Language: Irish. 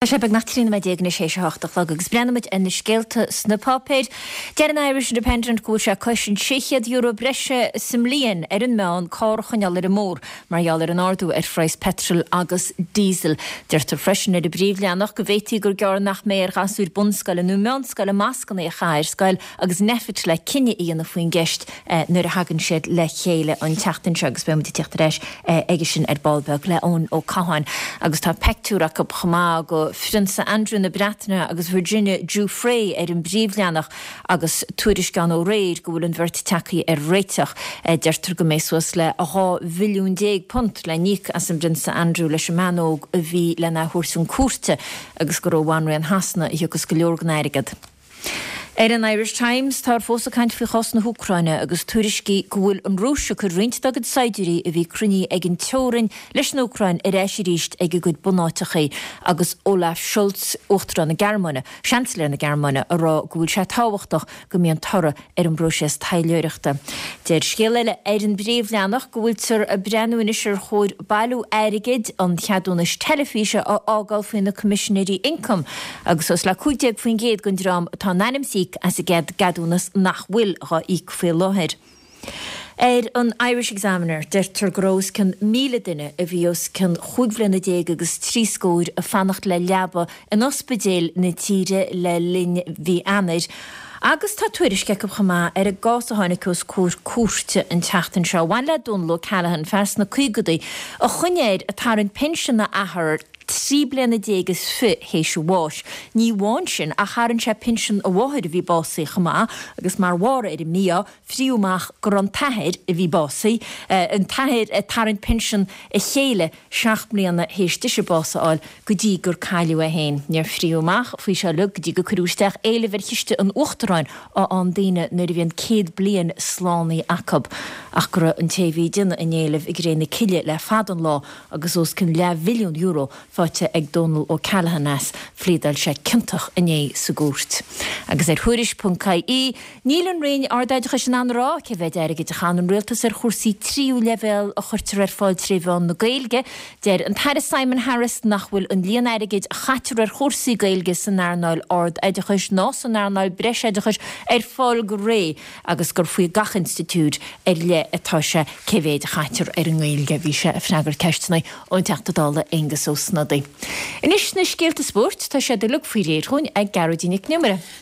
Tá sé beagnach 13 nóiméad anois théis a hocht a chlog agus breathnóimid ar na scéalta sna páipéir. Deir an Irish Independent go bhfuil sé cois an €600 breise sa mbliain ar an meán carr a choinneáil ar an mbóthar mar gheall ar an ardú ar phraghas peitril agus díosail. Deirtear freisin ar an bpríomhleathanach go bhféadfaí gur gearr nach mbeidh ar ghasúir bunscoile nó meánscoile mascanna a chaitheamh ar scoil agus Nphet le cinneadh a dhéanamh faoin gceist nuair a thagann siad le chéile an tseachtain seo agus beidh muid ag tíocht ar ais aige sin ar ball beag le Eoin Ó Catháin. Agus tá peictiúr acu chomh maith de Phrionsa Andrew na Breataine agus Virginia Giuffre ar an bpríomhleathanach agus tuairisc ann ó aréir go bhfuil an bheirt tagtha ar réiteach. Deirtear go mbeidh suas le 12 mhilliún punt le n-íoc as an bPrionsa Andrew leis an mbean óg a bhí lena thabhairt chun cúirte agus gur ó Bhanríon Shasana a thiocfas go leor den airgead. Ar an Irish Times, táthar fós ag caint faoi chás na hÚcráine agus tuairiscí go bhfuil an Rúis ag cur roinnt dá gcuid saighdiúirí a bhí cruinnithe ag an teorainn leis an Úcráin ar ais arís ag a gcuid bunáiteachaí agus Olaf Scholz, Uachtarán na Gearmáine, Seansailéir na Gearmáine, ag rá go bhfuil sé tábhachtach go mbíonn toradh ar an bpróiseas taidhleoireachta. Deir scéal eile ar an bpríomhleathanach go bhfuiltear ag breathnú anois ar chóir bailiú airgid an cheadúnais teilifíse a fhágáil faoi na Coimisinéirí Ioncaim agus suas le 15% den dream atá in ainm is íoc as an gceadúnas nach bhfuil dhá íoc faoi láthair. Ar an Irish Examiner, deirtear go raibh os cionn 1,000 duine a bhí os cionn chúig bhliana déag agus trí scóir ag fanacht le leaba in ospidéil na tíre le linn mhí Eanáir agus tá tuairisc acu chomh maith ar an gcás a tháinig os comhair cúirte an tseachtain seo a bhain le Dónal O'Callaghan, fear sna caogadaí a choinnigh air ag tarraingt pinsean a athar 13 bliana is fi théis a bháis. Ní amháin sin ach tharraing sé pinsean a mháthair a bhí básaithe chomh maith agus mar bharr ar an mí-ádh fríodh amach go raibh an t-athair, a bhí básaithe, an t-athair ag tarraingt pinsean a chéile seacht mbliana théis dise bás a fháil go dtí gur cailleadh é féin. Níor fríodh amach faoi seo uilig go dtí gur cuireadh isteach éileamh ar chiste an Uachtaráin a fhaigheann daoine nuair a bhíonn 100 bliain slánaithe acu ach go raibh an té a bhí ag déanamh an éilimh i gcré na cille le fada an lá agus os cionn leathmhilliún euro faighte ag Dónal O'Callaghan as. Phléadáil sé ciontach inné sa gcúirt. Agus ar Thuairisc.ie, Níl an Roinn Ardoideachais in ann a rá cé mhéad airgid a chaitheann an Rialtas ar chúrsaí tríú leibhéal a chuirtear ar fáil tré mheán na Gaeilge. Deir an tAire Simon Harris nach bhfuil an líon airgid a chaitear ar chúrsaí Gaeilge san earnáil ard-oideachais ná san earnáil breisoideachais ar fáil go réidh agus gur faoi gach institiúid ar leith atá sé cé mhéid a chaitear ar an nGaeilge. Bhí sé ag freagairt ceisteanna ón Teachta Dála Aengus Ó Snodaigh. Anois na scéalta spóirt, tá siad uilig faoi réir dhúinn ag Gearóidín Nic an Iomaire.